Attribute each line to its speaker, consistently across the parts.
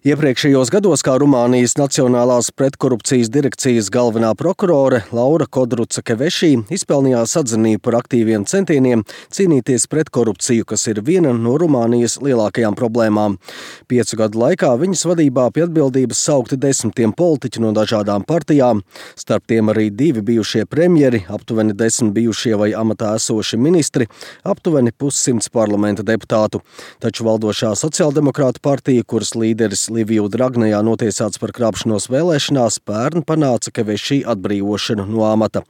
Speaker 1: Iepriekšējos gados kā Rumānijas Nacionālās pretkorupcijas direkcijas galvenā prokurore Laura Kodruca-Kevešī izpelnījās atzinību par aktīviem centieniem cīnīties pret korupciju, kas ir viena no Rumānijas lielākajām problēmām. 5 gadu laikā viņas vadībā pie atbildības saukti 10 politiķi no dažādām partijām, starp tiem arī 2 bijušie premjeri, aptuveni 10 bijušie vai amatā esoši ministri, aptuveni 100 parlamenta deputātu. Taču valdošā sociāldemokrātu partija, kuras līderis Liviju Dragnejā notiesāts par krāpšanos vēlēšanās, pērn panāca Kevešī atbrīvošanu no amata.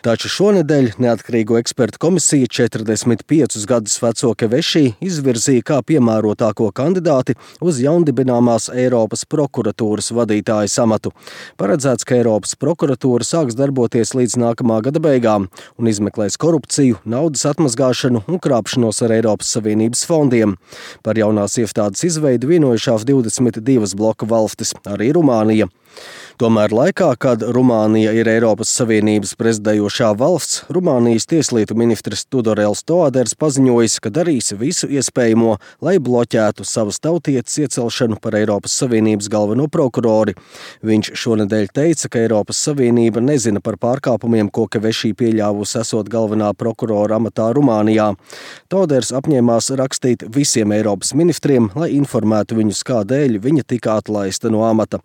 Speaker 1: Taču šonedēļ neatkarīgo ekspertu komisija 45 gadus veco Kevešī izvirzīja kā piemērotāko kandidāti uz jaundibināmās Eiropas prokuratūras vadītājas amatu. Paredzēts, ka Eiropas prokuratūra sāks darboties līdz nākamā gada beigām un izmeklēs korupciju, naudas atmazgāšanu un krāpšanos ar Eiropas Savienības fondiem. Par jaunās iestādes izveidu vienojušās 22 bloka valstis, arī Rumānija. Tomēr laikā, kad Rumānija ir Eiropas Savienības prezidējošā valsts, Rumānijas tieslietu ministrs Tudorels Toaders paziņojis, ka darīs visu iespējamo, lai bloķētu savas tautietes iecelšanu par Eiropas Savienības galveno prokurori. Viņš šonedēļ teica, ka Eiropas Savienība nezina par pārkāpumiem, ko Kevešī pieļāvusi esot galvenā prokurora amatā Rumānijā. Toaders apņēmās rakstīt visiem Eiropas ministriem, lai informētu viņus, kādēļ viņa tika atlaista no amata.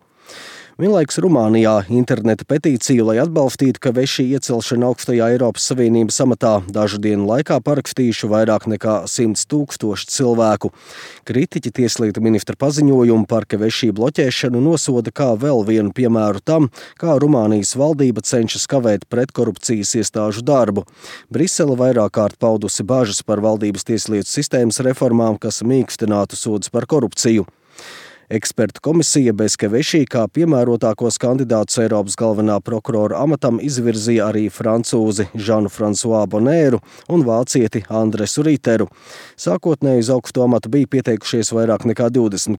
Speaker 1: Vienlaikus Rumānijā interneta petīciju, lai atbalstītu Kevešī iecelšanu augstajā Eiropas Savienības amatā, dažu dienu laikā parakstījuši vairāk nekā 100 000 cilvēku. Kritiķi tieslietu ministra paziņojumu par Kevešī bloķēšanu nosoda kā vēl vienu piemēru tam, kā Rumānijas valdība cenšas kavēt pretkorupcijas iestāžu darbu. Brisele vairāk kārt paudusi bažas par valdības tieslietu sistēmas reformām, kas mīkstinātu sodus par korupciju. Ekspertu komisija bez Kevešī kā piemērotākos kandidātus Eiropas galvenā prokurora amatam izvirzīja arī francūzi Žanu-Fransua Bonēru un vācieti Andresu Riteru. Sākotnēji uz augsto amatu bija pieteikušies vairāk nekā 20